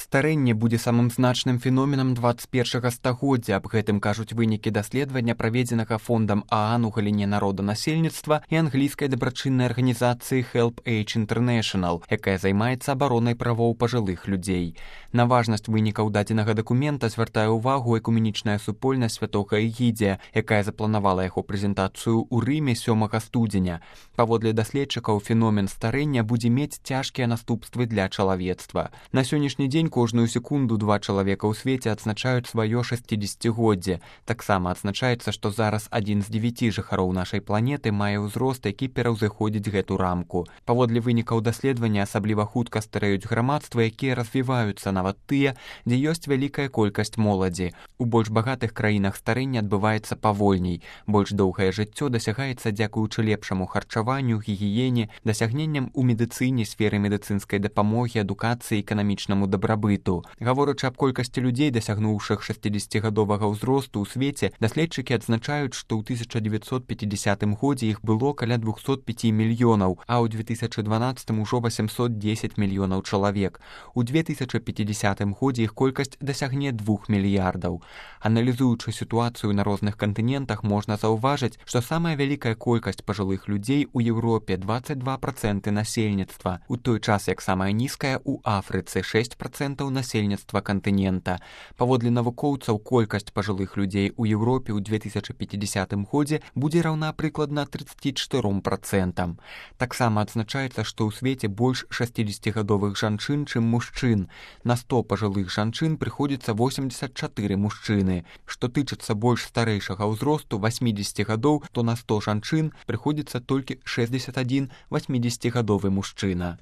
Старэнне будзе самым значным феноменам 21 стагоддзя. Аб гэтым кажуць вынікі даследавання, праведзенага фондам ААН у галіне народанасельніцтва і англійскай дабрачыннай арганізацыі Help Age International, якая займаецца абаронай правоў пажылых людзей. На важнасць вынікаў дадзенага дакумента звяртае ўвагу экуменічная супольнасць святога Эгідзія, якая запланавала яго прэзентацыю ў Рыме 7 студзеня. Паводле даследчыкаў, феномен старэння будзе мець цяжкія наступствы для чалавецтва. На сённяшні дзень кожную секунду 2 чалавека ў свеце адзначаюць сваё 60-годдзе. Таксама адзначаецца, што зараз 1 з 9 жыхароў нашай планеты мае ўзрост, які пераўзыходзіць гэту рамку. Паводле вынікаў даследавання асабліва хутка старэюць грамадства, якія развіваюцца, нават тыя, дзе ёсць вялікая колькасць моладзі. У больш багатых краінах старэнне адбываецца павольней. Больш доўгае жыццё дасягаецца дзякуючы лепшаму харчаванню, гігіене, дасягненням у медыцыне, сферы медыцынскай дапамогі, адукацыі, эканамічнаму дабрабыту. Гаворачы аб колькасці людзей, дасягнуўшых 60гадовага ўзросту ў свеце, даследчыкі адзначаюць, што ў 1950 годзе іх было каля 205 мільёнаў, а ў 2012 ужо 810 мільёнаў чалавек. У 2050 годзе іх колькасць дасягне 2 мільярдаў. Аналізуючы сітуацыю на розных кантынентах, можна заўважыць, што самая вялікая колькасць пажылых людзей у Еўропе 22% насельніцтва, у той час як самая нізкая ў Афрыцы 6% насельніцтва кантынента. Паводле навукоўцаў, колькасць пажылых людзей у Еўропе ў 2050 годзе будзе раўна прыкладна 34%. Таксама адзначаецца, што ў свеце больш 60гадовых жанчын, чым мужчын. На 100 пажылых жанчын прыходзіцца 84 мужчыны. Што тычыцца больш старэйшага ўзросту 80 гадоў, то на 100 жанчын прыходзіцца толькі 61 80гадовы мужчына.